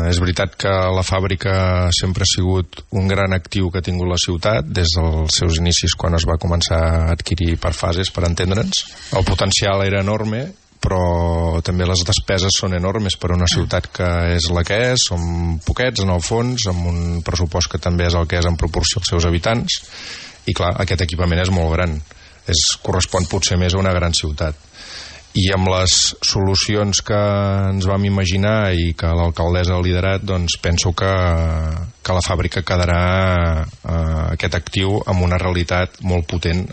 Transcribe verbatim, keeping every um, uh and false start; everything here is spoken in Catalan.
és veritat que la fàbrica sempre ha sigut un gran actiu que ha tingut la ciutat des dels seus inicis, quan es va començar a adquirir per fases, per entendre'ns. El potencial era enorme, però també les despeses són enormes per a una ciutat que és la que és. Som poquets en el fons, amb un pressupost que també és el que és en proporció als seus habitants, i clar, aquest equipament és molt gran, es correspon potser més a una gran ciutat. I amb les solucions que ens vam imaginar i que l'alcaldessa ha liderat, doncs penso que, que la fàbrica quedarà eh, aquest actiu amb una realitat molt potent.